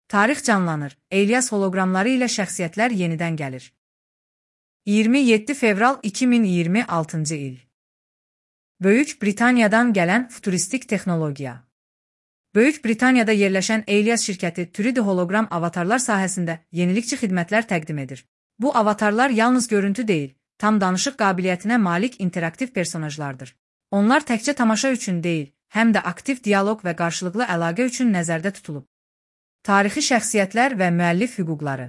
Tarix canlanır, Elias holoqramları ilə şəxsiyyətlər yenidən gəlir. 27 fevral 2026-cı il. Böyük Britaniyadan gələn futuristik texnologiya. Böyük Britaniyada yerləşən Elias şirkəti 3D holoqram avatarlar sahəsində yenilikçi xidmətlər təqdim edir. Bu avatarlar yalnız görüntü deyil, tam danışıq qabiliyyətinə malik interaktiv personajlardır. Onlar təkcə tamaşa üçün deyil, həm də aktiv dialoq və qarşılıqlı əlaqə üçün nəzərdə tutulub. Tarixi şəxsiyyətlər və müəllif hüquqları.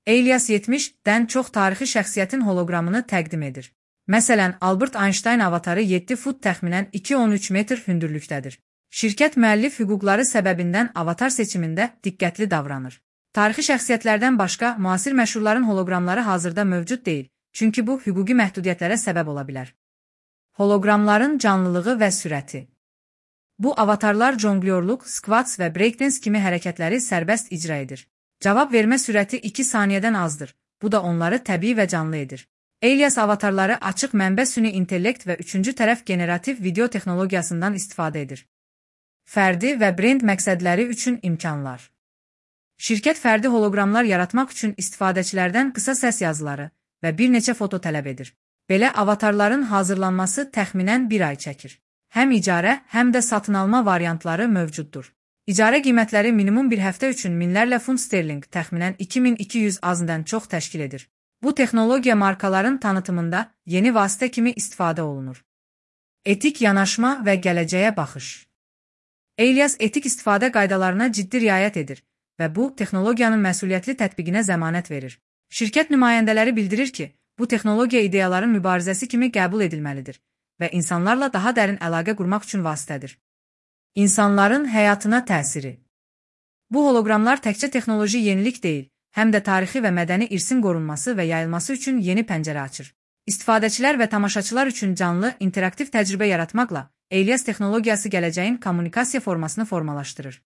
Elias 70-dən çox tarixi şəxsiyyətin holoqramını təqdim edir. Məsələn, Albert Einstein avatarı 7 fut təxminən 2,13 metr hündürlükdədir. Şirkət müəllif hüquqları səbəbindən avatar seçimində diqqətli davranır. Tarixi şəxsiyyətlərdən başqa müasir məşhurların holoqramları hazırda mövcud deyil, çünki bu hüquqi məhdudiyyətlərə səbəb ola bilər. Holoqramların canlılığı və sürəti. Bu avatarlar jonglyorluq, skvats və breakdance kimi hərəkətləri sərbəst icra edir. Cavab vermə sürəti 2 saniyədən azdır. Bu da onları təbii və canlı edir. Elias avatarları açıq mənbə süni intellekt və üçüncü tərəf generativ video texnologiyasından istifadə edir. Fərdi və brend məqsədləri üçün imkanlar. Şirkət fərdi holoqramlar yaratmaq üçün istifadəçilərdən qısa səs yazıları və bir neçə foto tələb edir. Belə avatarların hazırlanması təxminən 1 ay çəkir. Həm icarə, həm də satın alma variantları mövcuddur. İcarə qiymətləri minimum bir həftə üçün minlərlə funt sterling, təxminən 2200 azından çox təşkil edir. Bu texnologiya markaların tanıtımında yeni vasitə kimi istifadə olunur. Etik yanaşma və gələcəyə baxış. Elias etik istifadə qaydalarına ciddi riayət edir və bu, texnologiyanın məsuliyyətli tətbiqinə zəmanət verir. Şirkət nümayəndələri bildirir ki, bu texnologiya ideyaların mübarizəsi kimi qəbul edilməlidir və insanlarla daha dərin əlaqə qurmaq üçün vasitədir. İnsanların həyatına təsiri. Bu holoqramlar təkcə texnoloji yenilik deyil, həm də tarixi və mədəni irsin qorunması və yayılması üçün yeni pəncərə açır. İstifadəçilər və tamaşaçılar üçün canlı, interaktiv təcrübə yaratmaqla Elias texnologiyası gələcəyin kommunikasiya formasını formalaşdırır.